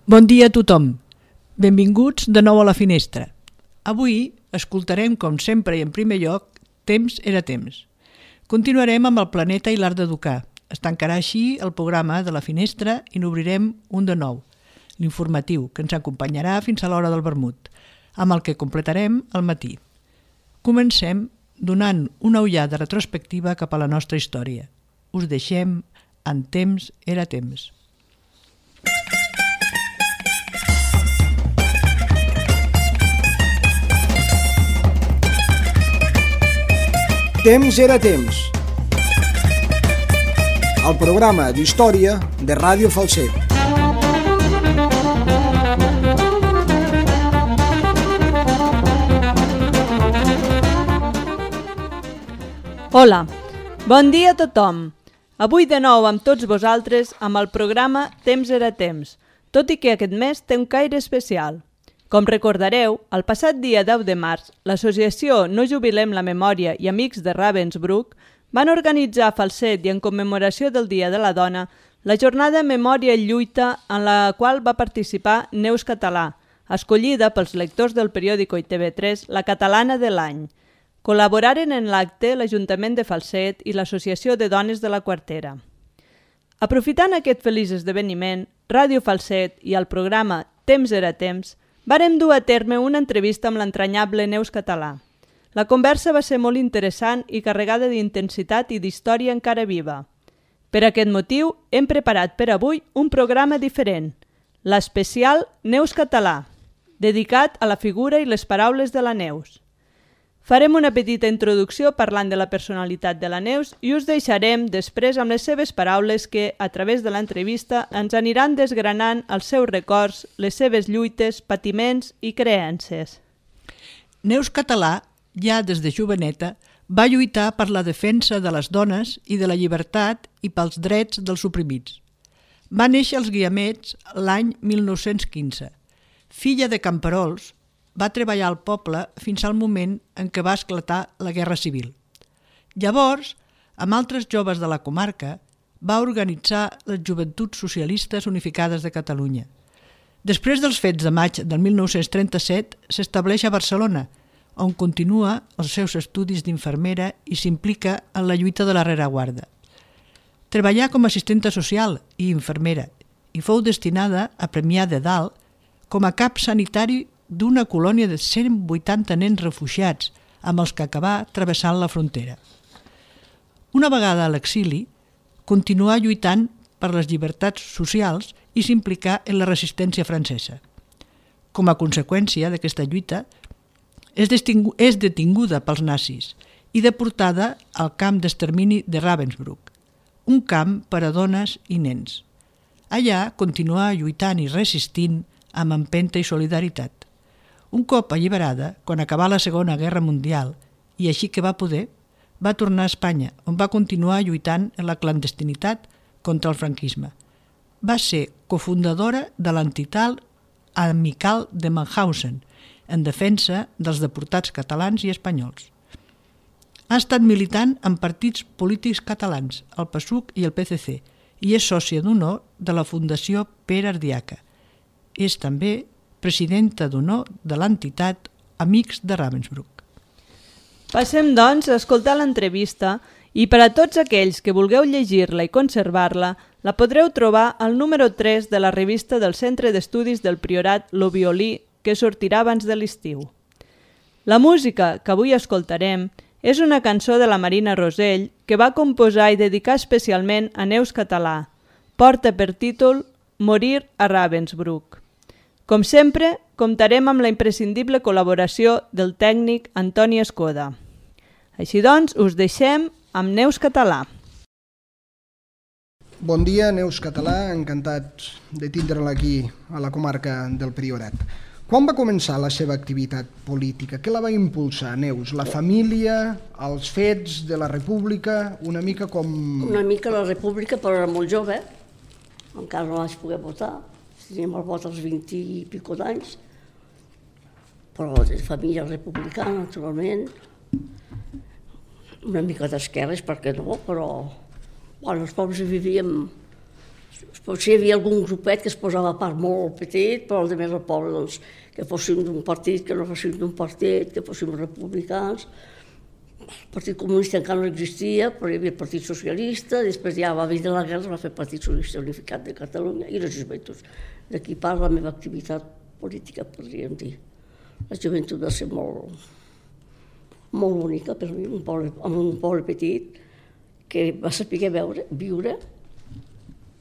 Bon dia a tothom. Benvinguts de nou a la finestra. Avui escoltarem, com sempre i en primer lloc, Temps era temps. Continuarem amb el planeta i l'art d'educar. Es tancarà així el programa de la finestra i n'obrirem un de nou, l'informatiu, que ens acompanyarà fins a l'hora del vermut, amb el que completarem al matí. Comencem donant una ullada retrospectiva cap a la nostra història. Us deixem en Temps era temps. Temps era temps. El programa d'història de Ràdio Falset. Hola, bon dia a tothom. Avui de nou amb tots vosaltres amb el programa Temps era temps, tot i que aquest mes té un caire especial. Com recordareu, el passat dia 10 de març, l'associació No Jubilem la Memòria i Amics de Ravensbrück van organitzar a Falset i en commemoració del Dia de la Dona la jornada Memòria i Lluita en la qual va participar Neus Català, escollida pels lectors del periòdico i TV3 la catalana de l'any. Col·laboraren en l'acte l'Ajuntament de Falset i l'Associació de Dones de la Quartera. Aprofitant aquest feliç esdeveniment, Ràdio Falset i el programa Temps era temps vàrem dur a terme una entrevista amb l'entranyable Neus Català. La conversa va ser molt interessant i carregada d'intensitat i d'història encara viva. Per aquest motiu, hem preparat per avui un programa diferent, l'especial Neus Català, dedicat a la figura i les paraules de la Neus. Farem una petita introducció parlant de la personalitat de la Neus i us deixarem després amb les seves paraules que, a través de l'entrevista, ens aniran desgranant els seus records, les seves lluites, patiments i creences. Neus Català, ja des de joveneta, va lluitar per la defensa de les dones i de la llibertat i pels drets dels oprimits. Va néixer als Guiamets l'any 1915. Filla de camperols, va treballar al poble fins al moment en què va esclatar la Guerra Civil. Llavors, amb altres joves de la comarca, va organitzar les Joventuts Socialistes Unificades de Catalunya. Després dels fets de maig del 1937, s'estableix a Barcelona, on continua els seus estudis d'infermera i s'implica en la lluita de la rereguarda. Treballà com a assistenta social i infermera i fou destinada a Premià de Dalt com a cap sanitari d'una colònia de 180 nens refugiats amb els que acabà travessant la frontera. Una vegada a l'exili, continuà lluitant per les llibertats socials i s'implicà en la resistència francesa. Com a conseqüència d'aquesta lluita, és detinguda pels nazis i deportada al camp d'extermini de Ravensbrück, un camp per a dones i nens. Allà continuà lluitant i resistint amb empenta i solidaritat. Un cop alliberada, quan acabà la Segona Guerra Mundial, i així que va poder, va tornar a Espanya, on va continuar lluitant en la clandestinitat contra el franquisme. Va ser cofundadora de l'entitat Amical de Mauthausen, en defensa dels deportats catalans i espanyols. Ha estat militant en partits polítics catalans, el PSUC i el PCC, i és sòcia d'honor de la Fundació Pere Ardiaca. És també presidenta d'honor de l'entitat Amics de Ravensbrück. Passem, doncs, a escoltar l'entrevista i per a tots aquells que vulgueu llegir-la i conservar-la, la podreu trobar al número 3 de la revista del Centre d'Estudis del Priorat Lo Violí, que sortirà abans de l'estiu. La música que avui escoltarem és una cançó de la Marina Rosell que va composar i dedicar especialment a Neus Català. Porta per títol Morir a Ravensbrück. Com sempre, comptarem amb la imprescindible col·laboració del tècnic Antoni Escoda. Així doncs, us deixem amb Neus Català. Bon dia, Neus Català, encantat de tindre-la aquí a la comarca del Priorat. Quan va començar la seva activitat política? Què la va impulsar, Neus? La família, els fets de la República, una mica com... Una mica la República, però era molt jove, encara no vaig poder votar. Teníem el vot als 20 i pico d'anys, però de família republicana, naturalment, una mica d'esquerres, per què no, però bueno, els pobles vivíem Potser hi havia algun grupet que es posava a part molt petit, però el més el poble, doncs, que fóssim d'un partit, que no fóssim d'un partit, que fóssim republicans. El Partit Comunista encara no existia, però hi havia el Partit Socialista, després ja va venir la guerra, es va fer el Partit Socialista Unificat de Catalunya i les joventuts. D'aquí part la meva activitat política, podríem dir. La joventut va ser molt bonica per mi, en un poble petit, que va saber viure,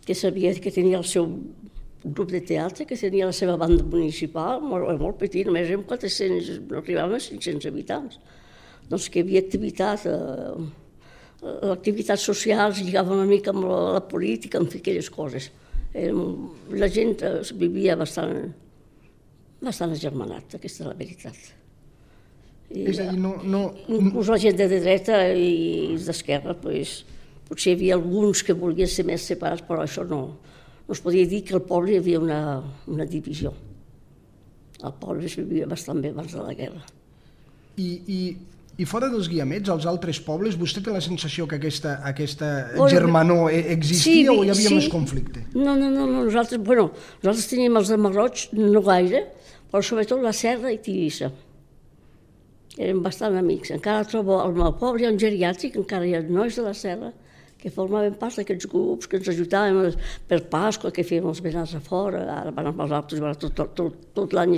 que sabia que tenia el seu grup de teatre, que tenia la seva banda municipal, molt petit, només érem 400, no arribaven a 500 habitants. Doncs que hi havia activitats socials, lligava una mica amb la política, amb aquelles coses. La gent vivia bastant agermanat, aquesta és la veritat. És a dir, Inclús la gent de dreta i d'esquerra, potser hi havia alguns que volien ser més separats, però això no es podia dir que al poble hi havia una divisió. El poble es vivia bastant bé abans de la guerra. I fora dels Guiamets, als altres pobles, vostè té la sensació que aquesta germanor existia o hi havia més conflicte? No, nosaltres teníem els de Marroig, no gaire, però sobretot la Serra i Tivissa. Érem bastant amics. Encara trobo al meu poble, hi ha un geriàtric, encara hi ha nois de la Serra, que formaven part d'aquests grups, que ens ajudaven per Pasqua, que fèiem els benars a fora, ara van amb els altres, tot l'any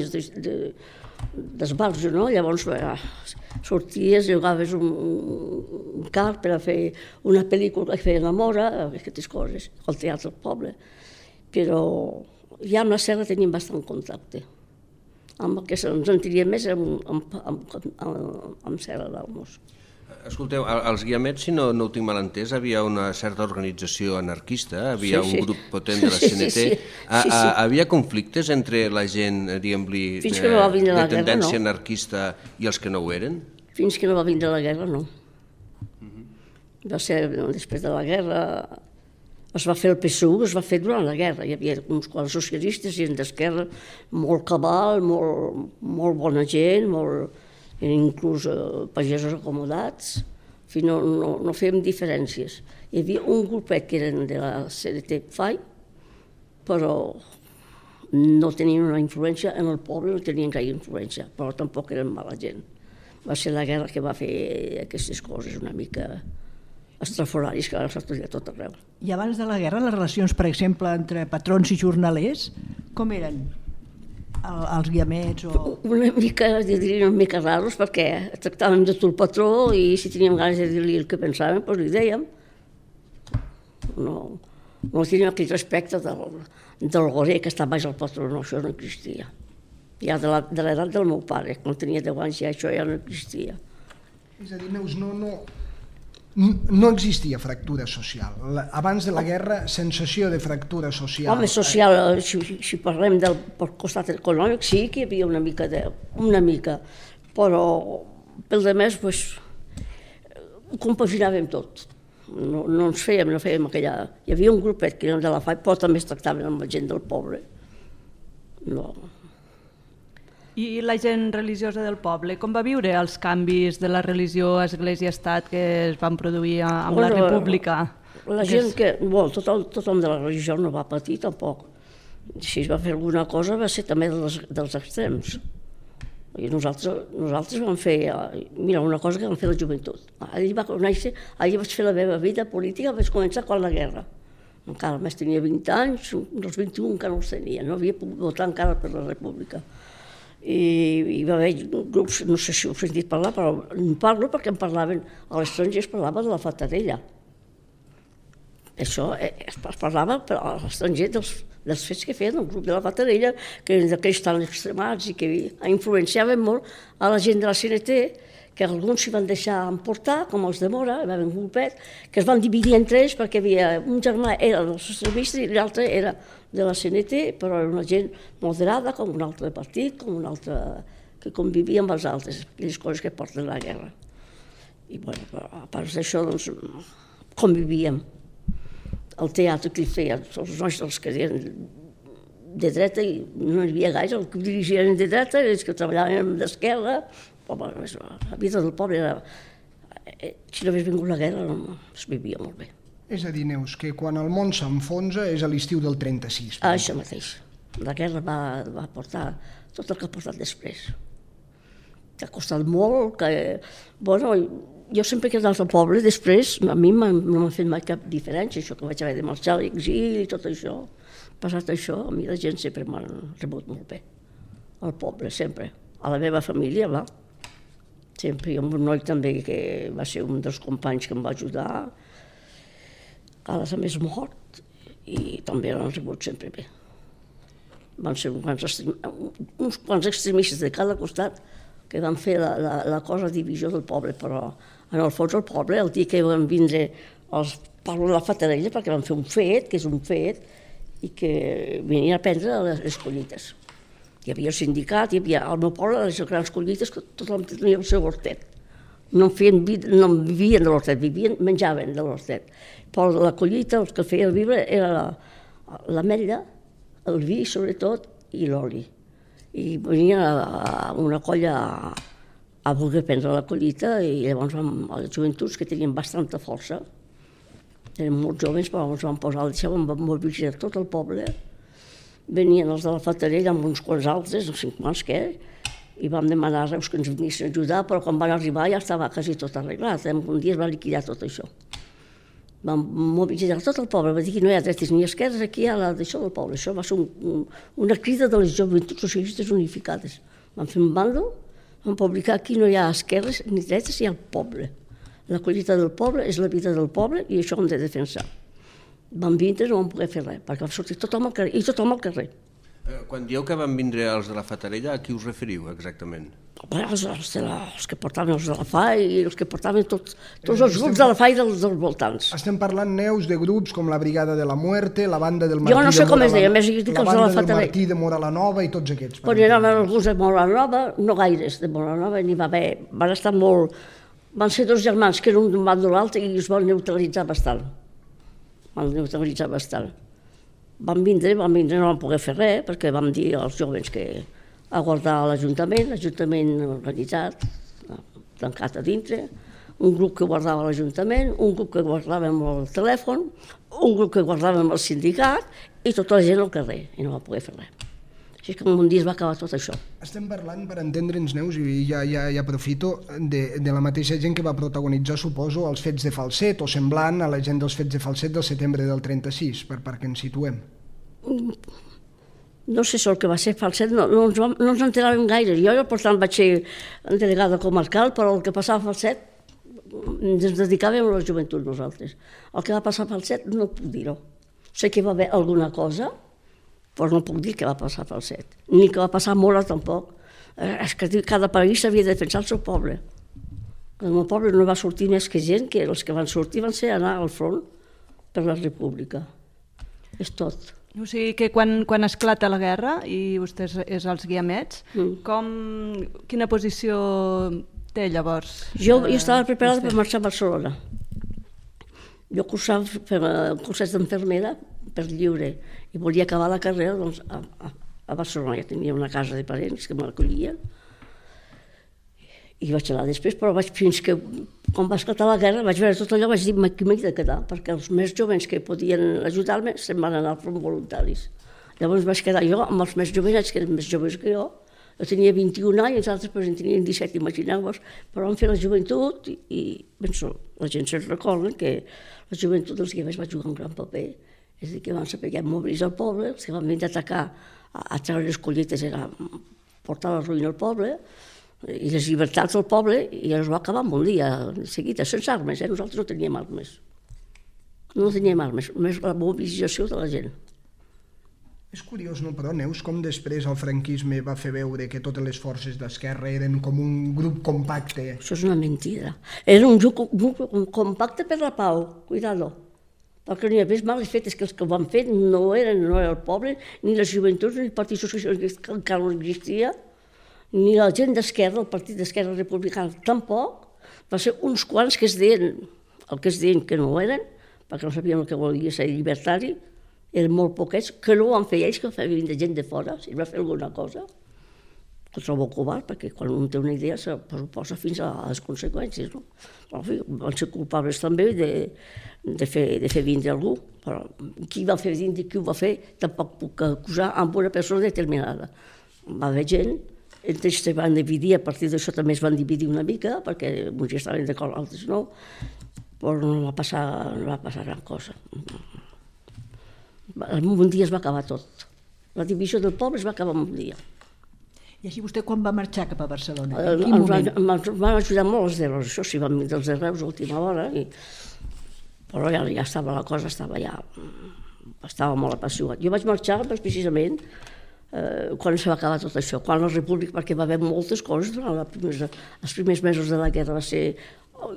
d'esbarjo, no? Llavors sorties, jugaves un car per a fer una pel·lícula que feien a Mora, aquestes coses, al teatre del poble. Però ja amb la Serra teníem bastant contacte. Amb el que ens sentiríem més amb Serra d'Almos. Escolteu, als Guiamets, si no ho tinc mal entès, havia una certa organització anarquista, havia un grup potent de la CNT. Havia conflictes entre la gent, diguem-li, de tendència anarquista i els que no ho eren? Fins que no va vindre la guerra, no. Va ser després de la guerra. Es va fer el PSU, es va fer durant la guerra. Hi havia uns quants socialistes, gent d'esquerra, molt cabal, molt bona gent, inclús pagesos acomodats. En fi, no fèiem diferències. Hi havia un grupet que eren de la CNT FAI, però no tenien una influència en el poble, no tenien gaire influència, però tampoc eren mala gent. Va ser la guerra que va fer aquestes coses una mica estrafolaris que ara s'estudia tot arreu. I abans de la guerra, les relacions, per exemple, entre patrons i jornalers, com eren? Els Guiamets o... Una mica raros, perquè tractàvem de tot el patró i si teníem ganes de dir-li el que pensàvem, doncs li dèiem. No teníem aquell respecte del gorer que està baix al patró, no, això no existia. Ja de l'edat del meu pare, quan tenia 10 anys, ja això ja no existia. És a dir, Neus, no existia fractura social. Abans de la guerra, sensació de fractura social. Home, social, si parlem del costat econòmic, sí que hi havia una mica, però pel demés, ho compaginàvem tot. No fèiem aquella... Hi havia un grupet que eren de la FAI, però també es tractaven amb la gent del poble. No... I la gent religiosa del poble, com va viure els canvis de la religió Església-Estat que es van produir amb la República? La gent tothom de la religió no va patir tampoc. Si es va fer alguna cosa va ser també dels extrems. I nosaltres vam fer, mira, una cosa que vam fer la joventut. Allí vaig fer la meva vida política, vaig començar quan la guerra. Encara més tenia 20 anys, dels 21 encara no els tenia, no havia pogut votar encara per la República. I hi va haver grups, no sé si heu sentit parlar, però en parlo perquè en parlaven, a l'estranger es parlava de la Fatarella. Això es parlava a l'estranger dels fets que feien el grup de la Fatarella, que eren d'aquells tan extremats i que influenciaven molt a la gent de la CNT, que alguns s'hi van deixar emportar, com els de Mora, hi va haver un grupet, que es van dividir entre ells perquè havia un germà era del socialista i l'altre era de la CNT, però era una gent moderada, com un altre partit, com un altre que convivia amb els altres, aquelles coses que porten la guerra. I a part d'això, doncs, convivíem. El teatre que hi feien, els nostres que eren de dreta, i no hi havia gaire, els que dirigien de dreta, els que treballaven d'esquerra. La vida del poble era... Si no hagués vingut la guerra, es vivia molt bé. És a dir, Neus, que quan el món s'enfonsa és a l'estiu del 36. Això mateix. La guerra va portar tot el que ha portat després. Que ha costat molt, que... Bueno, jo sempre que he quedat al poble, després, a mi no m'ha fet mai cap diferència, això que vaig haver de marxar a l'exili i tot això. Passat això, a mi la gent sempre m'ha rebut molt bé. Al poble, sempre. A la meva família, va. Sempre. I amb un noi també que va ser un dels companys que em va ajudar. Ara també és mort i també l'han rebut sempre bé. Van ser uns quants extremistes de cada costat que van fer la cosa divisió del poble, però en el fons el poble, el dia que van vindre els parlo de la Fatarella, perquè van fer un fet, que és un fet, i que venien a prendre les collites. Hi havia el sindicat, al meu poble, les grans collites, que tothom tenia el seu hortet. No vivien de l'hortet, menjaven de l'hortet. Però la collita, el que feia el viure, era l'ametlla, el vi, sobretot, i l'oli. I venia una colla a voler prendre la collita i llavors les joventuts, que tenien bastanta força, eren molt joves, però ens van posar al deixeu, van mobilitzar tot el poble. Venien els de la Fatarella amb uns quants altres, no sé quants què, i vam demanar a Reus que ens venissin a ajudar, però quan van arribar ja estava quasi tot arreglat. Un dia es va liquidar tot això. Vam mobilitzar tot el poble, va dir que no hi ha dretes ni esquerres, aquí hi ha d'això del poble. Això va ser una crida de les joventuts socialistes unificades. Vam fer un bàndol, vam publicar aquí no hi ha esquerres ni dretes, hi ha el poble. La collita del poble és la vida del poble i això ho hem de defensar. Vam vindre, no vam poder fer res, perquè va sortir tothom al carrer, i tothom al carrer. Quan dieu que van vindre els de la Fatarella, a qui us referiu exactament? Els que portaven els de la FAI i els que portaven tots els grups de la FAI dels voltants. Estem parlant, Neus, de grups com la Brigada de la Muerte, la banda del Martí jo no sé com es deia, més dic els de la Fatarella, Fatarella. del Martí de Moralanova i tots aquests. Quan eren alguns de Moralanova, no gaires de Moralanova, n'hi va haver, van estar molt... Van ser dos germans que eren d'un bàndol l'altre i es van neutralitzar bastant. Van vindre, no van poder fer res, perquè vam dir als joves que a guardar l'Ajuntament organitzat, tancat a dintre, un grup que guardava l'Ajuntament, un grup que guardàvem el telèfon, un grup que guardàvem el sindicat i tota la gent al carrer, i no va poder fer res. Així que un dia es va acabar tot això. Estem parlant, per entendre'ns, Neus, i ja aprofito, de la mateixa gent que va protagonitzar, suposo, els fets de Falset, o semblant a la gent dels fets de Falset del setembre del 36, perquè ens situem. No sé si el que va ser Falset, no ens enteràvem gaire. Jo, per tant, vaig ser delegada comarcal, però el que passava a Falset ens dedicàvem a la joventut nosaltres. El que va passar a Falset no puc dir-ho. Sé que va haver alguna cosa, però no puc dir que va passar a Falset, ni que va passar a Mora tampoc. És que cada país havia de defensar el seu poble. El meu poble no va sortir més que gent, que els que van sortir van ser anar al front per la república. És tot. O sigui que quan esclata la guerra i vostè és als Guiamets, quina posició té llavors? Jo estava preparada per marxar a Barcelona. Jo cursava cursets d'enfermera per lliure i volia acabar la carrera a Barcelona. Ja tenia una casa de parents que m'acollien i vaig anar després, però fins que, quan va esclatar la guerra, vaig veure tot allò, vaig dir que m'he de quedar, perquè els més joves que podien ajudar-me se'n van anar al front voluntaris. Llavors vaig quedar jo amb els més jovenets, que eren més joves que jo. Jo tenia 21 anys, els altres en tenien 17, imagineu-vos, però vam fer la joventut i penso, la gent se'n recorda que la joventut dels guiamets va jugar un gran paper. És a dir, que van saber mobilitzar el poble, els que van venir a atacar, a treure les collites, era portar la ruïna al poble, i les llibertats del poble, i es va acabar en un dia, de seguida, sense armes, nosaltres no teníem armes. No teníem armes, només la mobilització de la gent. És curiós, no, però, Neus, com després el franquisme va fer veure que totes les forces d'esquerra eren com un grup compacte. Això és una mentida. Era un grup compacte per la pau, cuidado. Perquè n'hi havia males fetes, que els que ho van fer no eren el poble, ni les joventuts, ni el Partit Socialista, que encara no existia, ni la gent d'esquerra, el Partit d'Esquerra Republicana, tampoc. Va ser uns quants que es deien el que es deien que no eren, perquè no sabien el que volia ser llibertari, eren molt poquets, que no ho van fer ells, que ho feien de gent de fora, si va fer alguna cosa. que ho trobo covard, perquè quan un té una idea se posa fins a les conseqüències, no? Però, en fi, van ser culpables també de fer vindre algú, però qui va fer vindre i qui ho va fer tampoc puc acusar amb una persona determinada. Va haver gent, ells se van dividir, a partir d'això també es van dividir una mica, perquè uns ja estaven d'acord, altres no, però no va passar gran cosa. En un dia es va acabar tot. La divisió del poble es va acabar en un dia. I així vostè quan va marxar cap a Barcelona? En quin moment? Van ajudar molt els d'Erreus, això sí, van vindre els d'Erreus a última hora, però ja estava la cosa, estava molt apassionat. Jo vaig marxar precisament quan se va acabar tot això, quan la República, perquè va haver moltes coses durant els primers mesos de la guerra, va ser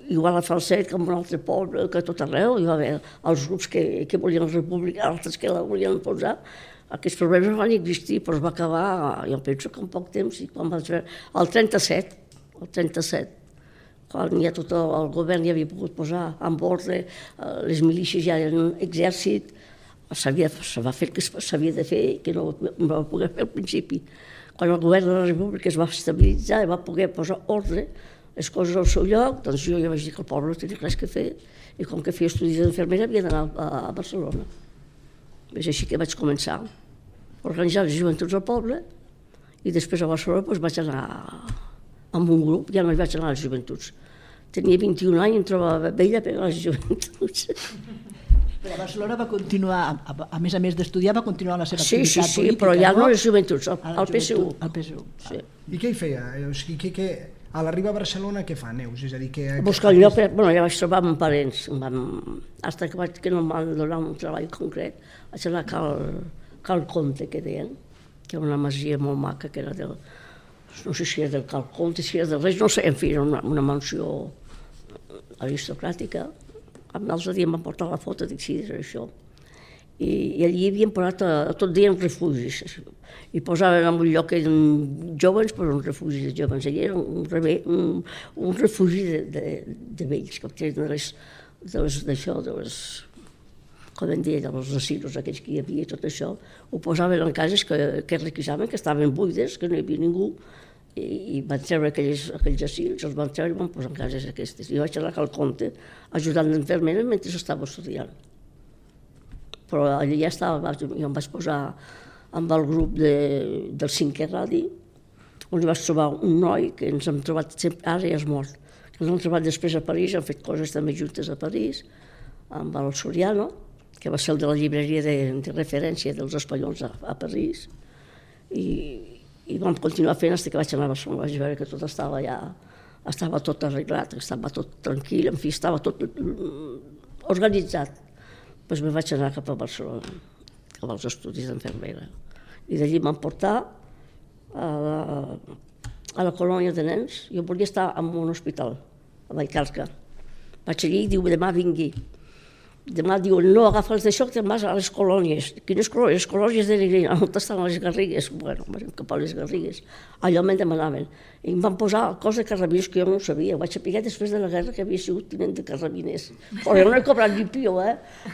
igual a Falset que en un altre poble, que a tot arreu, hi va haver els grups que volien la República, altres que la volien posar. Aquests problemes van existir, però es va acabar, jo penso que en poc temps, i quan vaig veure, el 37, quan ja tot el govern ja havia pogut posar en ordre, les milícies ja eren exèrcit, se va fer el que s'havia de fer, que no va poder fer al principi. Quan el govern de la República es va estabilitzar i va poder posar ordre, les coses al seu lloc, doncs jo ja vaig dir que el poble no tenia res que fer, i com que feia estudis d'infermera havia d'anar a Barcelona. És així que vaig començar a organitzar les joventuts al poble i després a Barcelona vaig anar amb un grup, ja no hi vaig anar a les joventuts. Tenia 21 anys i em trobava vella per a les joventuts. Però a Barcelona va continuar, a més d'estudiar, va continuar la seva activitat política. Sí, però ja no a les joventuts, al PSU. Al PSU. I què hi feia? A l'arribar a Barcelona què fa, Neus? És a dir, que... Buscar el lloc, ja vaig trobar amb parents, fins que no em van donar un treball concret, vaig anar a Cal Comte, que deien, que era una masia molt maca, que era del... no sé si era del Cal Comte, si era del Reis, no sé, en fi, era una mansió aristocràtica. L'altre dia em van portar la foto, dic, sí, era això. I allí havien posat tot dia refugis, i posaven en un lloc que eren joves, però un refugi de joves. Allí era un refugi de vells, que tenen com en deia, dels asilos aquells que hi havia, tot això, ho posaven en cases que requisaven, que estaven buides, que no hi havia ningú, i van treure aquells asils, els van treure i van posar en cases aquestes. Jo vaig anar a Cal Comte ajudant d'infermera mentre estava estudiant. Però allà ja estava, jo em vaig posar amb el grup del 5è Radi, on hi vaig trobar un noi que ens hem trobat sempre, ara ja és mort, que ens hem trobat després a París, hem fet coses també juntes a París, amb el Soriano, que va ser el de la llibreria de referència dels espanyols a París, i vam continuar fent fins que vaig anar a Barcelona, vaig veure que tot estava ja, estava tot arreglat, estava tot tranquil, en fi, estava tot organitzat. Doncs me vaig anar cap a Barcelona, cap als estudis d'infermera. I d'allí m'han portat a la colònia de nens. Jo volia estar en un hospital, a Vallcarca. Vaig allí i diu, demà vingui. Demà diu, no, agafa els d'això que te'n vas a les colònies. Quines colònies? Les colònies de Negrina, on estan les Garrigues? Bueno, vam cap a les Garrigues. Allò me'n demanaven. I em van posar cos de carrabiners que jo no ho sabia. Ho vaig saber després de la guerra que havia sigut tinent de carrabiners. Però jo no he cobrat ni pio,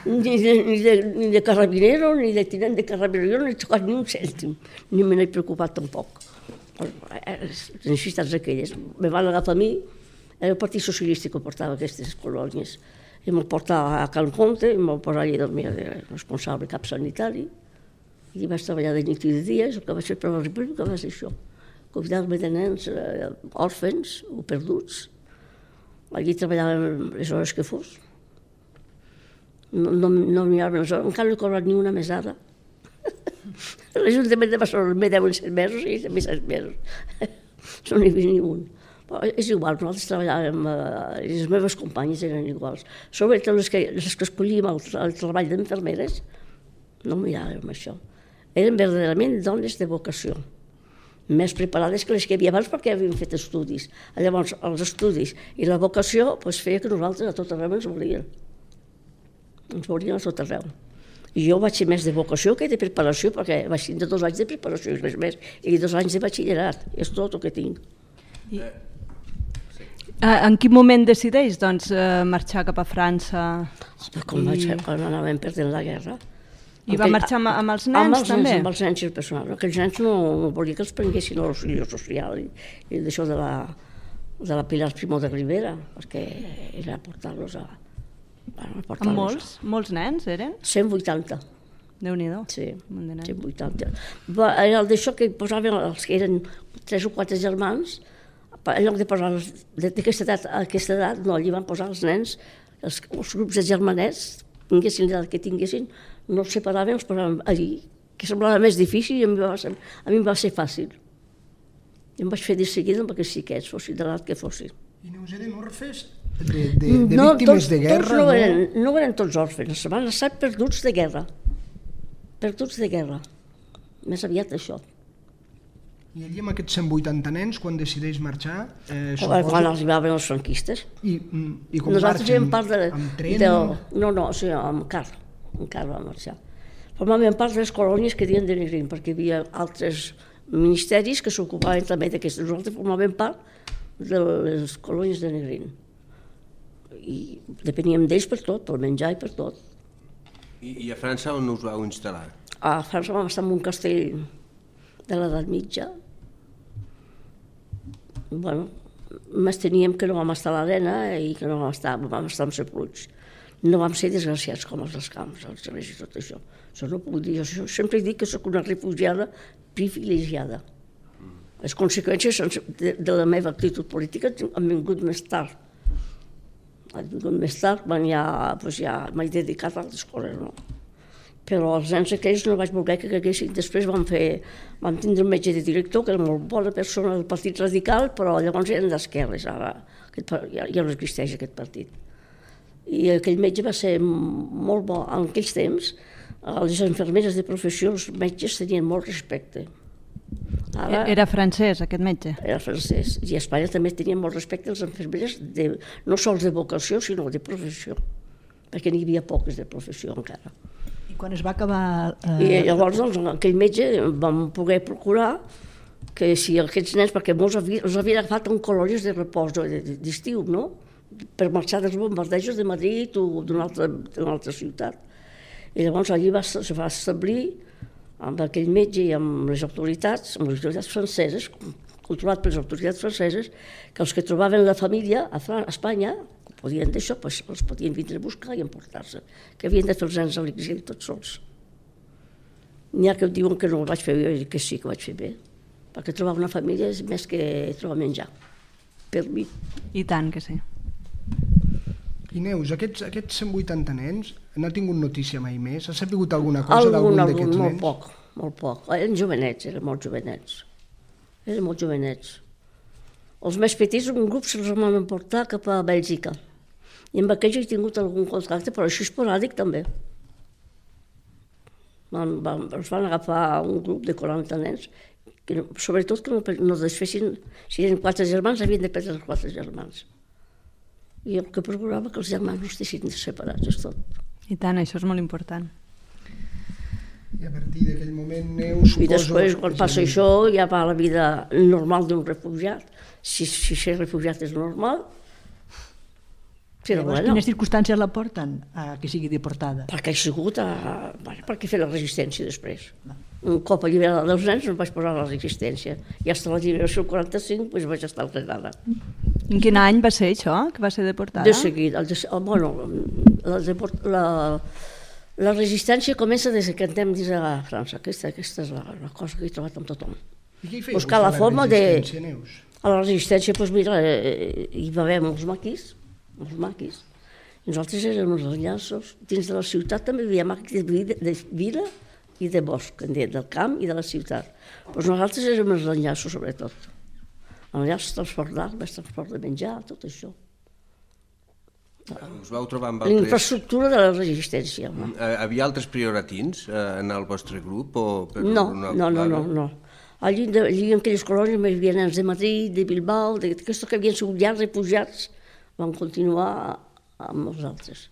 ni de carrabinero, ni de tinent de carrabinero. Jo no he tocat ni un cèntim, ni me n'he preocupat tampoc. Les necessitats aquelles. Me van agafar a mi, era el Partit Socialista que portava aquestes colònies. I me'l portava a Cal Comte, i me'l posava allà del meu responsable cap sanitari. I vaig treballar de nit i de dia, el que vaig fer per la República va ser això. Cuidar-me de nens òrfens o perduts. Allí treballàvem les hores que fos. No miraven les hores, encara no he cobrat ni una mesada. L'Ajuntament de Barcelona me deuen 7 mesos i també 7 mesos. No n'hi havia ni un. Però és igual, nosaltres treballàvem, les meves companyes eren iguals. Sobretot les que escollíem el treball d'infermeres, no miràvem això. Eren verdaderament dones de vocació, més preparades que les que hi havia abans perquè havien fet estudis. Llavors, els estudis i la vocació feia que nosaltres a tot arreu ens volien. Ens volien a tot arreu. I jo vaig ser més de vocació que de preparació, perquè vaig tindre 2 anys de preparació i res més, i 2 anys de batxillerat. És tot el que tinc. En quin moment decideix marxar cap a França? Quan anàvem perdent la guerra. I va marxar amb els nens, també? Amb els nens i el personal. Aquells nens no volia que els prenguessin a l'auxiliar social i d'això de la Pilar Primo de Rivera, perquè era portar-los a... Amb molts nens, eren? 180. Déu-n'hi-do. Sí, 180. Era el d'això que posaven els que eren 3 o 4 germans, en lloc de posar d'aquesta edat, no, allí van posar els nens, els grups de germanets, tinguessin l'edat que tinguessin, no els separaven, els posaven allí, que semblava més difícil i a mi em va ser fàcil. I em vaig fer de seguida amb aquests xiquets, fossin de l'edat que fossin. I Neus, eren orfes de víctimes de guerra? No eren tots òrfens, van estar perduts de guerra. Perduts de guerra. Més aviat això. I allí amb aquests 180 nens, quan decideix marxar... Quan arribaven els franquistes. I com marxen? Nosaltres amb tren? No, o sigui, amb car. Amb car van marxar. Formaven part de les colònies que diuen de Negrín, perquè hi havia altres ministeris que s'ocupaven també d'aquestes. Nosaltres formàvem part de les colònies de Negrín. I depeníem d'ells per tot, per menjar i per tot. I a França on us vau instal·lar? A França vam estar en un castell de l'edat mitja. Bueno, més teníem que no vam estar a l'arena i que no vam estar amb Sepults. No vam ser desgraciats com els dels camps, els xerès i tot això. Això no puc dir, jo sempre dic que soc una refugiada privilegiada. Les conseqüències de la meva actitud política han vingut més tard. Han vingut més tard, quan ja m'he dedicat a altres coses, no? Però els nens aquells no vaig voler que caiguessin. Després vam tindre un metge de director, que era molt bona persona del Partit Radical, però llavors eren d'esquerres, ara ja no existeix aquest partit. I aquell metge va ser molt bo. En aquells temps, les infermeres de professió, els metges tenien molt respecte. Era francès, aquest metge? Era francès. I a Espanya també tenien molt respecte als infermeres, no sols de vocació, sinó de professió, perquè n'hi havia poques de professió encara. Quan es va acabar... I llavors, doncs, aquell metge vam poder procurar que si aquests nens, perquè molts els havien agafat en colònies de repòs d'estiu, no? Per marxar dels bombardejos de Madrid o d'una altra ciutat. I llavors allí es va establir amb aquell metge i amb les autoritats franceses, controlat per les autoritats franceses, que els que trobaven la família a Espanya, podien d'això, els podien vindre a buscar i emportar-se, que havien de fer els nens a l'exili tots sols. N'hi ha que diuen que no ho vaig fer bé, jo dic que sí que ho vaig fer bé, perquè trobar una família és més que trobar menjar, per mi. I tant que sí. I Neus, aquests 180 nens, n'ha tingut notícia mai més? Ha sabut alguna cosa d'algun d'aquests nens? Molt poc. Eren jovenets, eren molt jovenets. Els més petits, un grup se'ls van emportar cap a Bèlgica. I amb aquells he tingut algun contacte, però així esporàdic també. Els van agafar un grup de 40 nens, sobretot que no desfessin, si eren 4 germans, havien de perdre els 4 germans. I el que procurava que els germans no estiguessin separats, és tot. I tant, això és molt important. I a partir d'aquell moment, Neus, suposo... I després, quan passa això, ja va la vida normal d'un refugiat. Si ser refugiat és normal, però bueno... Quines circumstàncies la porten a que sigui deportada? Perquè he sigut perquè fer la resistència després. Un cop alliberada dels nens no vaig posar la resistència. I fins a la lliberació 45 doncs vaig estar alrenada. En quin any va ser això, que va ser deportada? De seguida. La resistència comença des que entrem dins de França. Aquesta és la cosa que he trobat amb tothom. I què hi fèieu buscar la forma de... Neus? A la resistència, doncs mira, hi va haver molts maquis. Nosaltres érem els enllaços. Dins de la ciutat també hi havia maquis de vila i de bosc, del camp i de la ciutat. Doncs nosaltres érem els enllaços, sobretot. Enllaços, transport d'armes, transport de menjar, tot això. Us vau trobar amb altres... L'infraestructura de la resistència. Havia altres prioratins en el vostre grup? No. Allí en aquelles colònies hi havia nens de Madrid, de Bilbao, d'aquestos que havien sigut ja refugiats, van continuar amb els altres.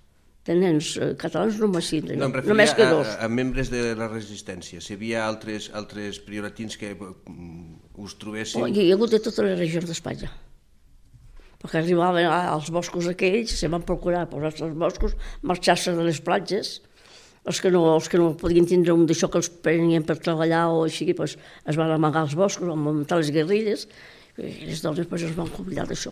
De nens catalans només 5, només que 2. A membres de la resistència, si hi havia altres prioratins que us trobessin... Hi ha hagut de totes les regions d'Espanya. Perquè arribaven als boscos aquells, se van procurar posar-se als boscos, marxar-se de les platges, Els que no podien tindre un d'això que els prenien per treballar o així, es van amagar als boscos, van muntar les guerrilles, i les dones es van convidar d'això.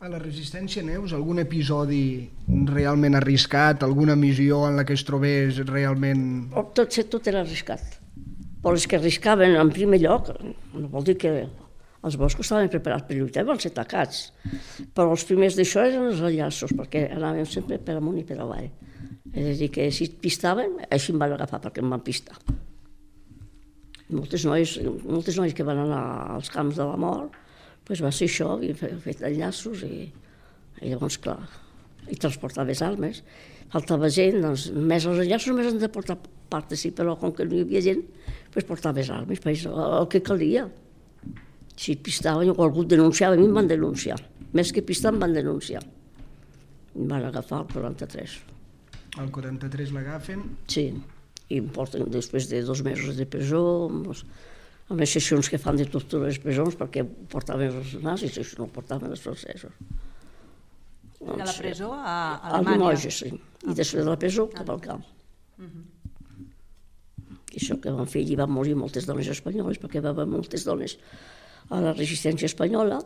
A la resistència, Neus, algun episodi realment arriscat, alguna missió en la que es trobés realment... Tot era arriscat. Però els que arriscaven en primer lloc, no vol dir que els boscos estaven preparats per lluitar, van ser atacats. Però els primers d'això eren els enllaços, perquè anàvem sempre per amunt i per avall. És a dir, que si pistaven, així em van agafar perquè em van pistar. Moltes noies que van anar als camps de la mort, va ser això, havien fet enllaços i llavors, clar, i transportaves armes. Faltava gent, doncs, més els enllaços més han de portar part, sí, però com que no hi havia gent, portaves armes, el que calia. Si pistaven o algú denunciava, a mi em van denunciar. Més que pistar em van denunciar. Em van agafar el 43. El 43 l'agafen? Sí, i em porten després de 2 mesos de presó, amb les sessions que fan de tortura a les presons, perquè portaven els nazis, i no portaven els francesos. De la presó a Alemanya? A Limoges, sí. I després de la presó cap al camp. I això que van fer, allí van morir moltes dones espanyoles, perquè va haver moltes dones a la resistència espanyola,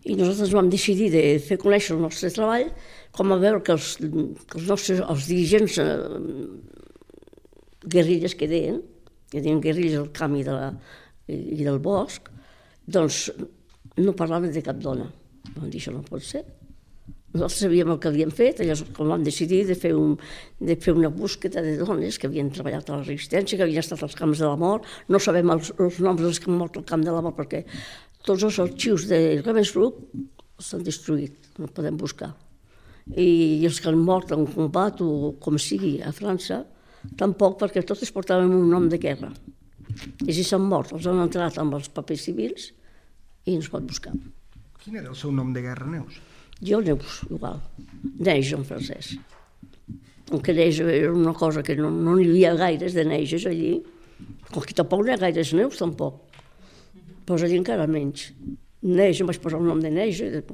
i nosaltres vam decidir de fer conèixer el nostre treball, com a veure que els dirigents guerrilles que deien guerrilles al camp i del bosc, doncs no parlaven de cap dona. Vam dir, això no pot ser. Nosaltres sabíem el que havíem fet, llavors com vam decidir de fer una búsqueda de dones que havien treballat a la resistència, que havien estat als camps de la mort. No sabem els noms dels que han mort al camp de la mort perquè tots els arxius de Ravensbrück s'han destruït, no podem buscar. I els que han mort en combat o com sigui a França, tampoc, perquè totes portaven un nom de guerra. I si s'han mort, els han entrat amb els papers civils i no es pot buscar. Quin era el seu nom de guerra, Neus? Jo, Neus, igual. Neige en francès. Com que Neige era una cosa que no n'hi havia gaires de Neiges allí, com que tampoc no hi ha gaires Neus, tampoc. Però allí encara menys. Neige, em vaig posar el nom de Neige, era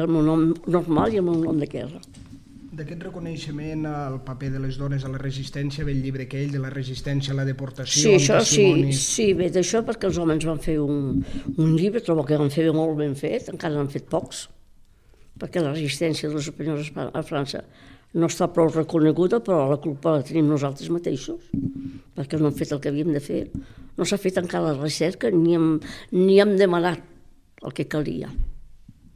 el meu nom normal i el meu nom de guerra. D'aquest reconeixement al paper de les dones a la resistència ve el llibre aquell de la resistència a la deportació. Sí, això sí, ve d'això perquè els homes van fer un llibre, trobo que van fer molt ben fet, encara n'han fet pocs, perquè la resistència dels espanyols a França no està prou reconeguda, però la culpa la tenim nosaltres mateixos, perquè no hem fet el que havíem de fer. No s'ha fet encara la recerca ni hem demanat el que calia.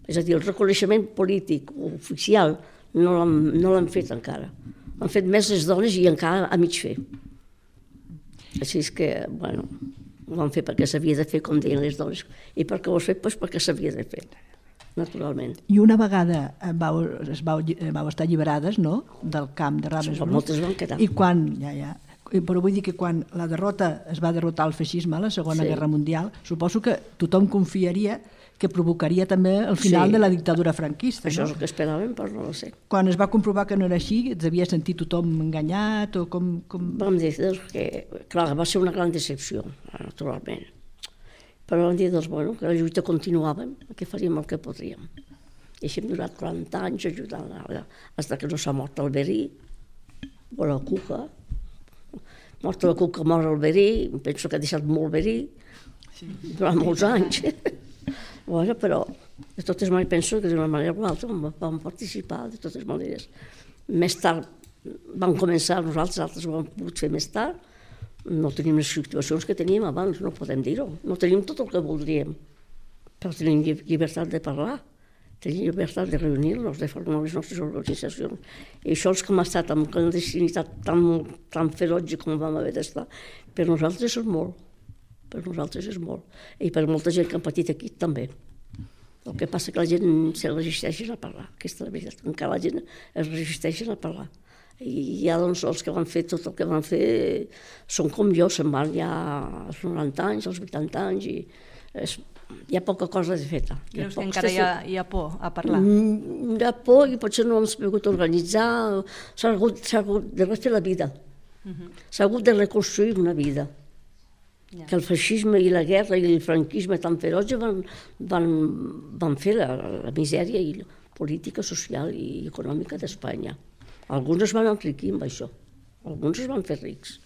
És a dir, el reconeixement polític oficial no l'han fet encara. Han fet més les dones i encara a mig fer. Així és que, bueno, ho van fer perquè s'havia de fer, com deien les dones. I per què ho has fet? Doncs perquè s'havia de fer, naturalment. I una vegada vau estar alliberades, no?, del camp de Ravensbrück. Moltes van quedar. I quan, però vull dir que quan la derrota es va derrotar el feixisme a la Segona Guerra Mundial, suposo que tothom confiaria que provocaria també el final de la dictadura franquista. Això és el que esperàvem, però no ho sé. Quan es va comprovar que no era així, es devia sentir tothom enganyat o com... Vam dir que, clar, va ser una gran decepció, naturalment. Però vam dir, doncs, bueno, que la lluita continuàvem, que faríem el que podríem. I així hem durat 40 anys ajudant, fins que no s'ha mort el verí, o la cuca. Mort la cuca, mort el verí, penso que ha deixat molt verí, durant molts anys. Bueno, però de totes maneres penso que d'una manera o altra vam participar, de totes maneres. Més tard vam començar nosaltres, altres ho hem pogut fer més tard. No tenim les situacions que teníem abans, no podem dir-ho. No tenim tot el que voldríem, però tenim llibertat de parlar, tenim llibertat de reunir-nos, de formar les nostres organitzacions. I això els que hem estat amb clandestinitat tan ferotge com vam haver d'estar, per nosaltres és molt. Per nosaltres és molt. I per molta gent que han patit aquí també. El que passa que la gent se resisteixen a parlar, aquesta és la veritat. Encara la gent es resisteixen a parlar. I ja doncs els que van fer tot el que van fer són com jo, se'n van ja als 90 anys, als 80 anys, i hi ha poca cosa de feta. Creus que encara hi ha por a parlar? Hi ha por i potser no hem sabut organitzar, s'ha hagut de refer la vida, s'ha hagut de reconstruir una vida. Que el feixisme i la guerra i el franquisme tan ferotge van fer la misèria i la política social i econòmica d'Espanya. Alguns es van enriquir amb això, alguns es van fer rics,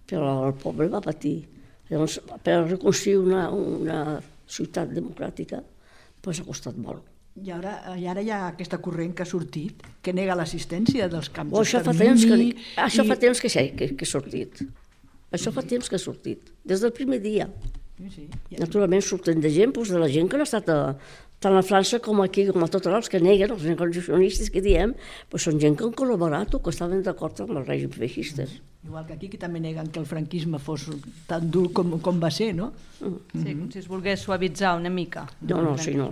però el poble va patir. Llavors, per reconstruir una ciutat democràtica, doncs ha costat molt. I ara hi ha aquesta corrent que ha sortit, que nega l'assistència dels camps Això fa temps que ha sortit. Això fa temps que ha sortit, des del primer dia. Naturalment surten de gent, de la gent que no ha estat tant a França com aquí, com a tot arreu, els que neguen, els negociacionistes que diem, són gent que han col·laborat o que estaven d'acord amb els règims feixistes. Igual que aquí, que també neguen que el franquisme fos tan dur com va ser, no? Sí, com si es volgués suavitzar una mica. No, sí, no.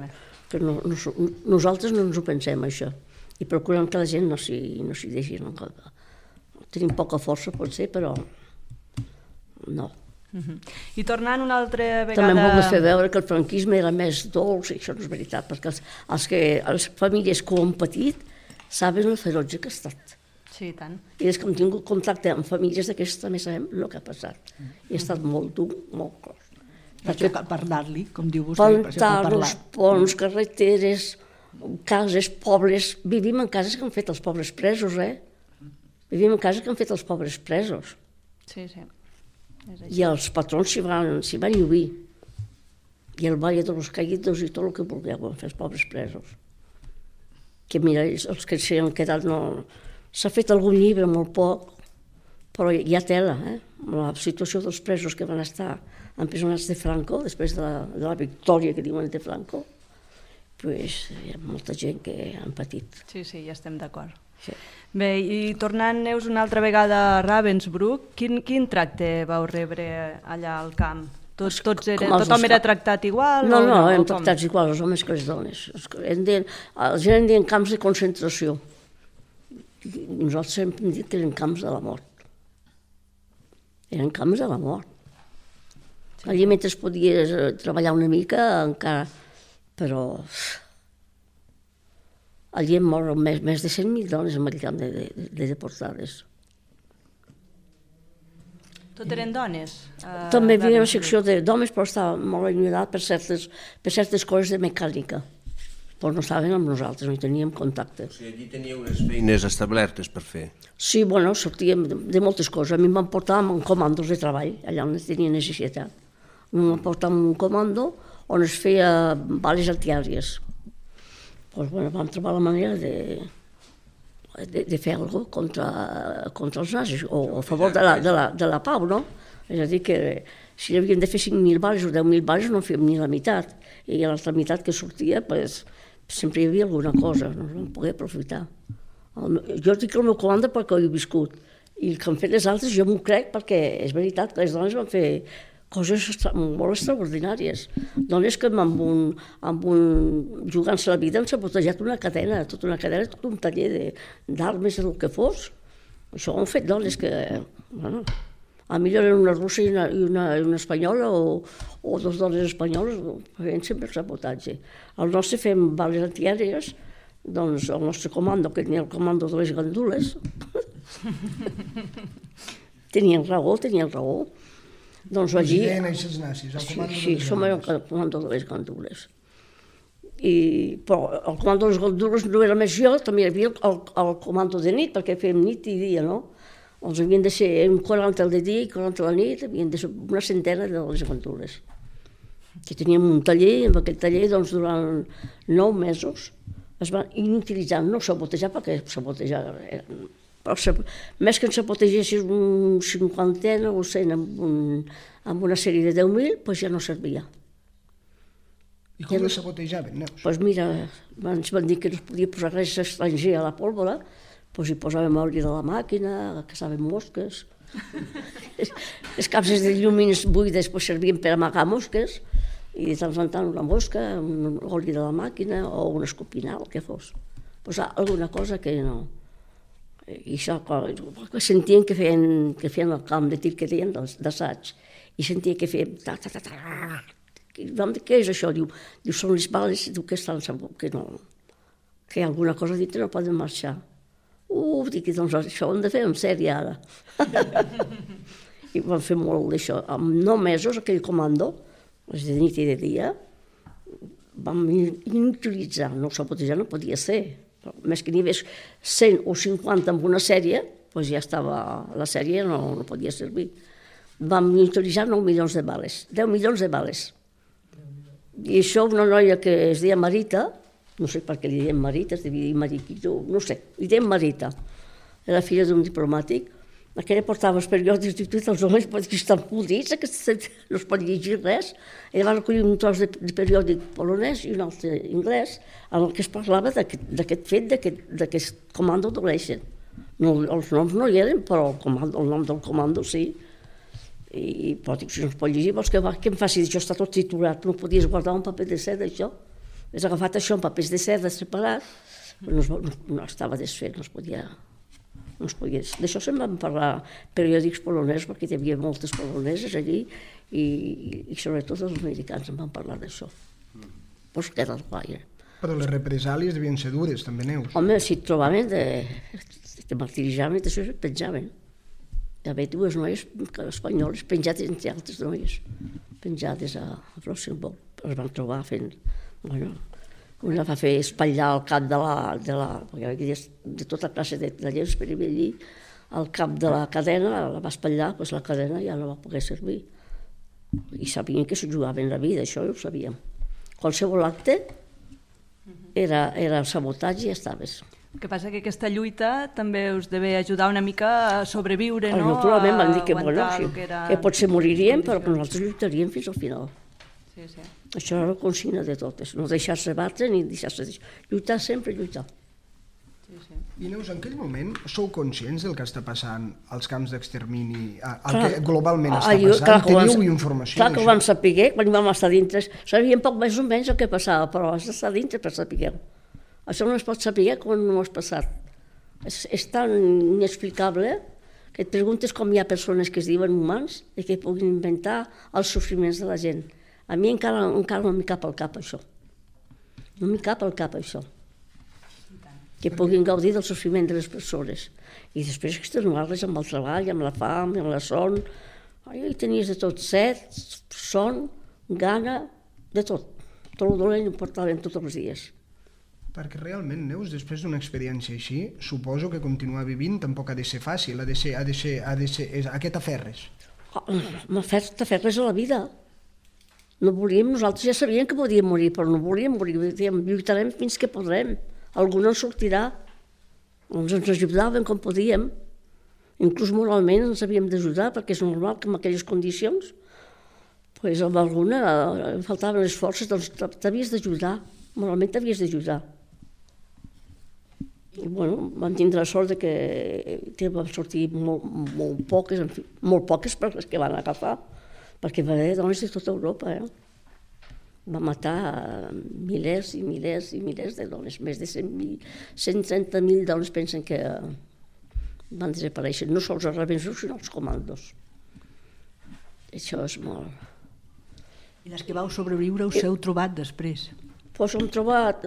Nosaltres no ens ho pensem, això, i procurem que la gent no s'hi deixi. Tenim poca força, potser, però no. I tornant una altra vegada... També hem volgut fer veure que el franquisme era més dolç, i això no és veritat, perquè les famílies que ho han patit saben el ferotge que ha estat. Sí, tant. I des que hem tingut contacte amb famílies d'aquestes també sabem el que ha passat. I ha estat molt dur, molt clos. Perquè parlar-li, com diu vostè. Pantanos, ponts, carreteres, cases, pobles... Vivim en cases que han fet els pobres presos, Vivim en cases que han fet els pobres presos. Sí. I els patrons s'hi van lluir. I el Valle de los Caídos i tot el que vulgueu van fer els pobres presos. Que mira, els que s'hi han quedat no... S'ha fet algun llibre, molt poc, però hi ha tela, La situació dels presos que van estar empresonats de Franco, després de la victòria que diuen de Franco, doncs hi ha molta gent que han patit. Sí, ja estem d'acord. Sí. Bé, i tornant, Neus, una altra vegada a Ravensbrück, quin tracte vau rebre allà al camp? Tothom era tractat igual? No, hem tractats igual, els homes que les dones. La gent en deien camps de concentració. Nosaltres hem dit que eren camps de la mort. Eren camps de la mort. Allí mentre podies treballar una mica encara, però allí hem mort més de 100.000 dones en aquell camp de deportades. Tot eren dones? També hi havia una secció d'homes, però estava molt allunyat per certes coses de mecànica. Però no estaven amb nosaltres, no hi teníem contacte. O sigui, allí teníeu unes feines establertes per fer? Sí, sortíem de moltes coses. A mi em van portar amb comandos de treball, allà on tenia necessitat. Em van portar amb un comando on es feia bales antiàries. Vam trobar la manera de fer alguna cosa contra els nazis, o a favor de la pau, no? És a dir, que si havíem de fer 5.000 bales o 10.000 bales no fèiem ni la meitat. I l'altra meitat que sortia, sempre hi havia alguna cosa, no ens vam poder aprofitar. Jo dic el meu comanda perquè ho he viscut, i el que han fet les altres jo m'ho crec perquè és veritat que les dones van fer coses molt extraordinàries. Dones que jugant-se la vida han sabotejat una cadena, tota un taller d'armes, del que fos. Això ho han fet dones que... A millor eren una russa i una espanyola o dues dones espanyoles, feien sempre el sabotatge. El nostre fem bales antiàries, doncs el nostre comando, que tenia el comando de les gandules, tenien raó. Doncs allí... Els nazis, el comando de les gandules. Sí, som el comando de les gandules. Però el comando de les gandules no era més jo, també hi havia el comando de nit, perquè fèiem nit i dia, no? Els havien de ser 40 al dia i 40 a la nit, havien de ser una centena de les gandules. Que teníem un taller, i en aquell taller, doncs, durant 9 mesos, es van inutilitzar, no sabotejar, perquè sabotejar... Però més que en sabotegessis un 50 o 100 amb una sèrie de 10.000, doncs ja no servia. I com les sabotejaven, Neus? Doncs mira, ens van dir que no es podia posar res estranger a la pólvora, doncs hi posàvem oli de la màquina, caçàvem mosques. Les capses de llumins buides servien per amagar mosques, i de tant en tant una mosca, un oli de la màquina o un escopinal, el que fos. Posar alguna cosa que no... I això, sentien que feien el camp de tir que deien d'assaig, i sentia que feien... Vam dir, què és això? Diu, són les bales, diu que estan que no... Que hi ha alguna cosa dintre, no poden marxar. Dic, doncs això ho hem de fer en sèrie ara. I vam fer molt d'això. En 9 mesos, aquell comando, de nit i de dia, vam inutilitzar, no sabotejar no podia ser, Més que n'hi hagués 100 o 50 en una sèrie, doncs ja estava, la sèrie no podia servir. Vam utilitzar 9 milions de bales, 10 milions de bales. I això una noia que es deia Marita, no sé per què li deien Marita, es devia dir Mariquito, no sé, li deien Marita, era filla d'un diplomàtic, aquella portava els periòdics i tots els homes que estan podrits, no es pot llegir res. Ella va recollir un tros de periòdic polonès i un altre anglès en el que es parlava d'aquest fet, d'aquest comando d'Oleixen. Els noms no hi eren, però el nom del comando sí. Però dic, si no es pot llegir, vols que em faci? Això està tot titulat, no podies guardar un paper de seda, això. Has agafat això en papers de seda separat, no estava desfet, no es podia... D'això se'n van parlar periòdics polonesos, perquè hi havia moltes poloneses allí, i sobretot els americans en van parlar d'això. Pues que era el guai. Però les represàlies devien ser dures, també, Neus. Home, si et trobaven, te martiritzaven i d'això et penjaven. Hi havia dues noies espanyoles penjades entre altres noies, penjades a Rosenborg. Es van trobar fent... Una va fer espatllar el cap de tota classe de lleus per allí, el cap de la cadena, la va espatllar, doncs la cadena ja no va poder servir. I sabien que s'ho jugaven la vida, això ho sabíem. Qualsevol acte era sabotatge i ja estaves. El que passa que aquesta lluita també us deve ajudar una mica a sobreviure, no? Naturalment van dir que potser moriríem, però que nosaltres lluitaríem fins al final. Sí. Això era la consigna de totes, no deixar-se batre ni deixar-se... Lluitar sempre, lluitar. Sí. I Neus, en aquell moment sou conscients del que està passant als camps d'extermini, el que globalment està passant? Teniu informació? Clar que ho vam saber, quan vam estar dintre, sabíem poc més o menys el que passava, però has d'estar dintre per saber-ho. Això no es pot saber quan no ho has passat. És tan inexplicable que et preguntes com hi ha persones que es diuen humans i que puguin inventar els sofriments de la gent. A mi encara no m'hi cap al cap, això. No m'hi cap al cap, això. Que puguin gaudir del sofriment de les persones. I després extenuar-les amb el treball, amb la fam, amb la son. Hi tenies de tot, set, son, gana, de tot. Tot el dolent ho portaven tots els dies. Perquè realment, Neus, després d'una experiència així, suposo que continuar vivint tampoc ha de ser fàcil, ha de ser a què t'aferres? T'aferres a la vida. No volíem, nosaltres ja sabíem que podíem morir, però no volíem morir, lluitarem fins que podrem. Algú no en sortirà. Ens ajudaven com podíem. Inclús moralment ens havíem d'ajudar, perquè és normal que en aquelles condicions, doncs amb alguna faltaven les forces, doncs t'havies d'ajudar, moralment t'havies d'ajudar. I bueno, vam tindre la sort que vam sortir molt poques per les que van agafar, perquè va haver dones de tota Europa. Va matar milers i milers i milers de dones, més de 130.000 dones pensen que van desaparèixer, no sols els rebensos, sinó els comandos. Això és molt... I les que vau sobreviure us heu trobat després? Doncs hem trobat...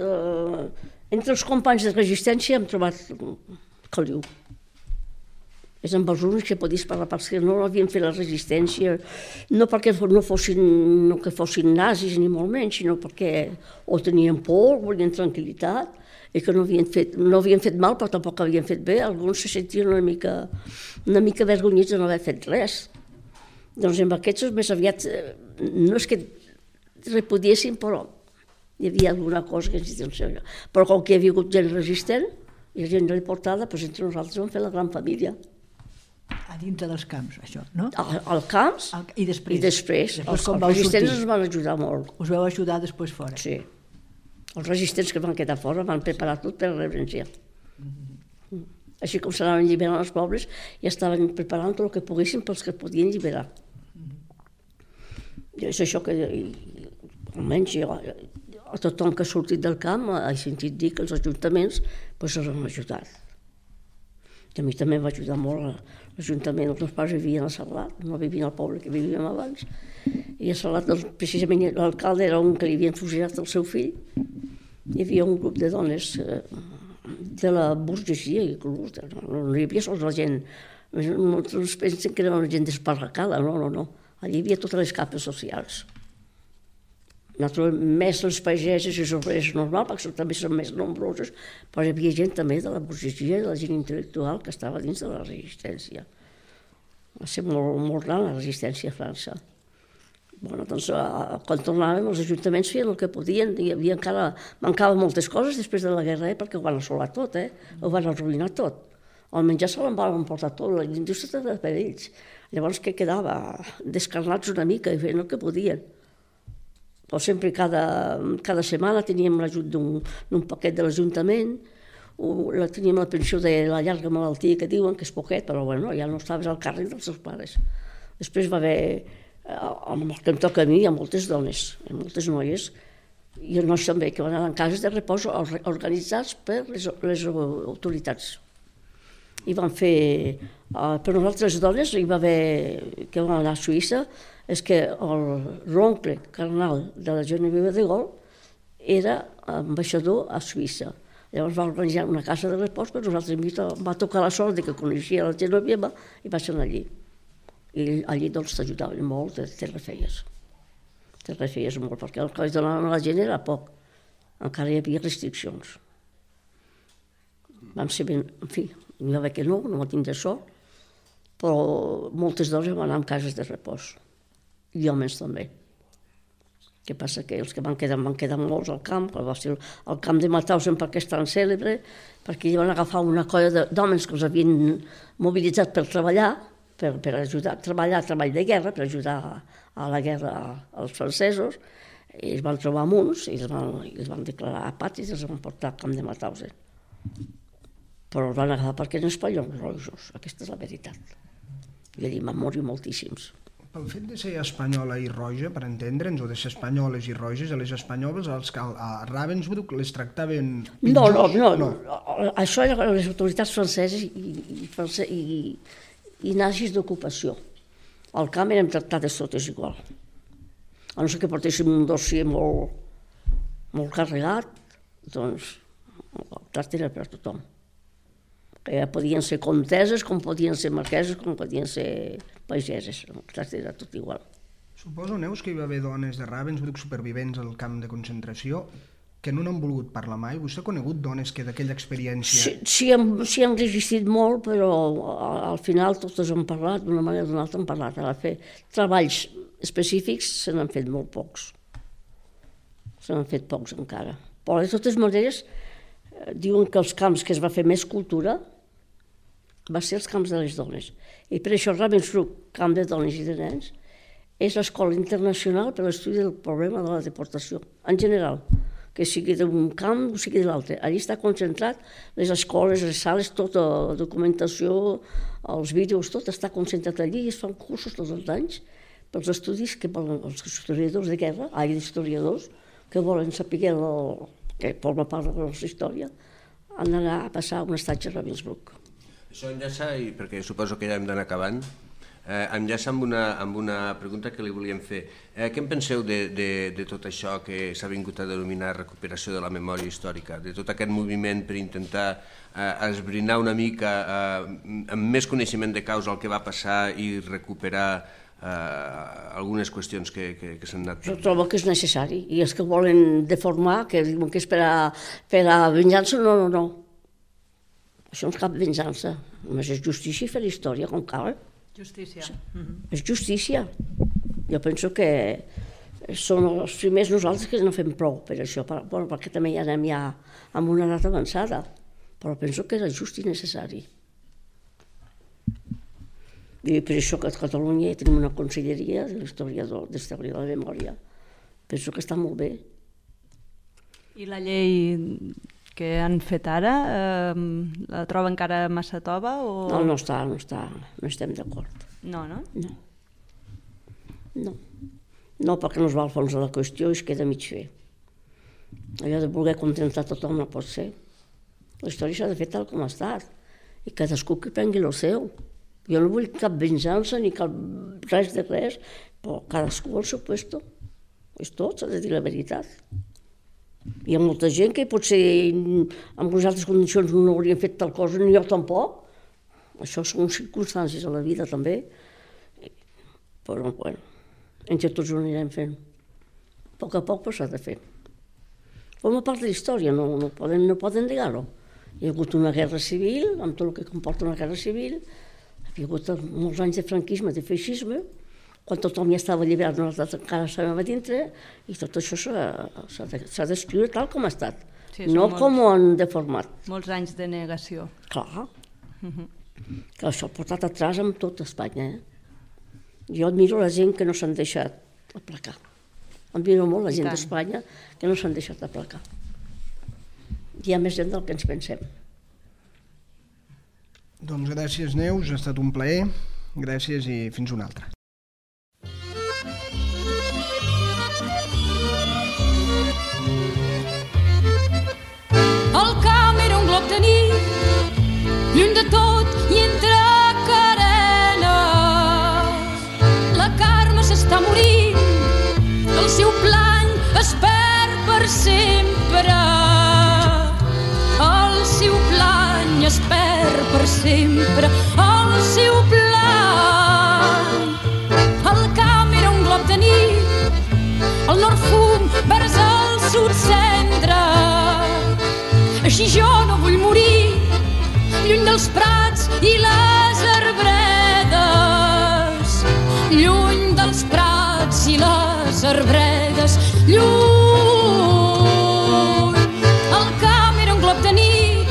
Entre els companys de resistència hem trobat caliu. És amb els únics que podies parlar, perquè no havien fet la resistència, no perquè no fossin nazis ni molt menys, sinó perquè o tenien por, volien tranquil·litat, i que no havien fet mal, però tampoc havien fet bé. Alguns se sentien una mica vergonyits de no haver fet res. Doncs amb aquests més aviat, no és que repudiessin, però hi havia alguna cosa que ens diuen. Però com que hi havia hagut gent resistent i gent reportada, doncs entre nosaltres vam fer la gran família. A dintre dels camps, això, no? Al camps i després. I després. Els resistents ens van ajudar molt. Us vau ajudar després fora? Sí. Els resistents que van quedar fora van preparar tot per reverenciar. Així com s'anaven alliberant els pobles, ja estaven preparant tot el que poguessin pels que podien alliberar. I és això que, almenys a tothom que ha sortit del camp, he sentit dir que els ajuntaments els han ajudat. I a mi també em va ajudar molt l'Ajuntament. Els meus pares vivien a Sarlat, no vivien al poble que vivíem abans. I a Sarlat, precisament, l'alcalde era un que li havien fusilat el seu fill. Hi havia un grup de dones de la burgesia, inclús. No hi havia sols la gent. Molts pensen que era una gent desparracada. No. Allí hi havia totes les capes socials. naturalment, més les pageses i els obrers normal, perquè també són més nombroses, però hi havia gent també de la burgesia i de la gent intel·lectual que estava dins de la resistència. Va ser molt gran la resistència a França. Bueno, doncs, quan tornàvem, els ajuntaments feien el que podien, hi havia encara, mancaven moltes coses després de la guerra, perquè ho van assolar tot, ho van arruïnar tot. El menjar se l'en van emportar tot, la indústria estava per ells. Llavors, què quedava? Descarnats una mica i feien el que podien. Però sempre cada setmana teníem l'ajut d'un paquet de l'Ajuntament, teníem la pensió de la llarga malaltia que diuen, que és poquet, però bueno, ja no estaves al càrrec dels seus pares. Després va haver, amb el que em toca a mi, hi ha moltes dones, moltes noies, i els nois també, que van anar en cases de repòs organitzats per les autoritats. I van fer, per nosaltres dones, hi va haver, que van anar a Suïssa, és que l'oncle carnal de la Genevieve de Gaulle era ambaixador a Suïssa. Llavors va organitzar una casa de repòs, però nosaltres va tocar la sort que coneixia la Genevieve i va ser allí. I allí doncs t'ajudaven molt, te refeies. Te refeies molt, perquè el que els donaven a la gent era poc. Encara hi havia restriccions. Vam ser ben, en fi, n'hi va haver que no va tindre sort, però moltes dones van anar a cases de repòs. I homes també. Què passa? Que els que van quedar molts al camp, que va ser el camp de Mauthausen perquè és tan cèlebre, perquè hi van agafar una colla d'homes que els havien mobilitzat per treballar, per ajudar a treballar, treball de guerra, per ajudar a la guerra als francesos, i es van trobar amb uns, i els van declarar apàtrides i els van portar al camp de Mauthausen. Però els van agafar perquè eren espanyols rojos, aquesta és la veritat. I allí van morir moltíssims. Pel fet de ser espanyola i roja, per entendre'ns, o de ser espanyoles i roges, a les espanyoles a Ravensbrück les tractaven pitjors? No. Això eren les autoritats franceses i nazis d'ocupació. Al camp érem tractades totes igual. A no ser que portéssim un dossier molt carregat, doncs el tracte era per a tothom. Podien ser comteses, com podien ser marqueses, com podien ser pageses. El tracte era tot igual. Suposo, Neus, que hi va haver dones de Ravensbrück supervivents al camp de concentració que no n'han volgut parlar mai. Vostè ha conegut dones que d'aquella experiència... Sí, han resistit molt, però al final totes han parlat, d'una manera o d'una altra han parlat. A fer treballs específics se n'han fet molt pocs. Se n'han fet pocs encara. Però de totes maneres diuen que els camps que es va fer més cultura va ser els camps de les dones. I per això Ravensbrück, camp de dones i de nens, és l'escola internacional per a l'estudi del problema de la deportació, en general, que sigui d'un camp o sigui de l'altre. Allí està concentrat les escoles, les sales, tota la documentació, els vídeos, tot està concentrat allí i es fan cursos tots els anys pels estudis que volen els historiadors de guerra, historiadors, que volen saber que forma part de la nostra història, han d'anar a passar un estatge a Ravensbrück. Això enllaça, i perquè suposo que ja hem d'anar acabant, enllaça amb una pregunta que li volíem fer. Què en penseu de tot això que s'ha vingut a denominar recuperació de la memòria històrica, de tot aquest moviment per intentar esbrinar una mica amb més coneixement de causa el que va passar i recuperar algunes qüestions que s'han anat... Jo trobo que és necessari, i els que volen deformar, que diuen que és per a venjança, no. Això no és cap venjança, només és justícia i fer història com cal. Justícia. És justícia. Jo penso que són els primers nosaltres que no fem prou per això, perquè també ja anem ja amb una edat avançada, però penso que era just i necessari. I per això que a Catalunya tenim una conselleria de l'història de la memòria. Penso que està molt bé. I la llei que han fet ara, la troba encara massa tova? No estem d'acord. No? No, perquè no es va al fons de la qüestió i es queda mig fer. Allò de voler contentar tothom no pot ser. La història s'ha de fer tal com ha estat i cadascú que prengui el seu. Jo no vull cap venjança ni cap res de res, però cadascú al seu puesto. És tot, s'ha de dir la veritat. Hi ha molta gent que potser en unes altres condicions no haurien fet tal cosa, ni jo tampoc. Això són circumstàncies a la vida també. Però, bueno, entre tots ho anirem fent. poc a poc s'ha de fer. Forma part de la història, no poden negar-ho. Hi ha hagut una guerra civil, amb tot el que comporta una guerra civil, hi ha hagut molts anys de franquisme, de feixisme, quan tothom ja estava alliberat, nosaltres encara estàvem a dintre, i tot això s'ha d'escriure tal com ha estat, no com ho han deformat. Molts anys de negació. Clar, que això ha portat atràs amb tot Espanya. Jo admiro la gent que no s'han deixat aplacar. Admiro molt la gent d'Espanya que no s'han deixat aplacar. Hi ha més gent del que ens pensem. Doncs gràcies, Neus, ha estat un plaer. Gràcies i fins una altra. El camp era un glob de nit, lluny de tot i entre carenes. La Carme s'està morint, el seu plany es perd per sempre. El seu plany es perd per sempre. El seu plany. El camp era un glob de nit, el nord fum vers el sud cendra. Així jo no vull morir, lluny dels prats i les arbredes. Lluny dels prats i les arbredes, lluny. El camp era un glob de nit,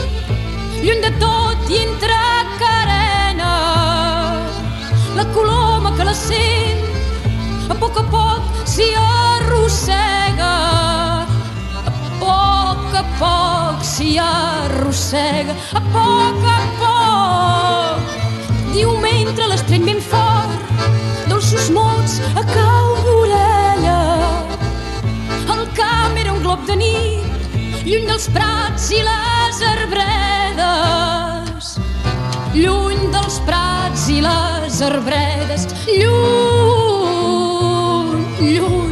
lluny de tot i entre carenes. La coloma que la sent, a poc s'hi arrossega. A poc s'hi arrossega. A poc diu mentre l'estreny ben fort, dolços mots a cau d'orella. El camp era un glob de nit, lluny dels prats i les arbredes. Lluny dels prats i les arbredes, lluny, lluny.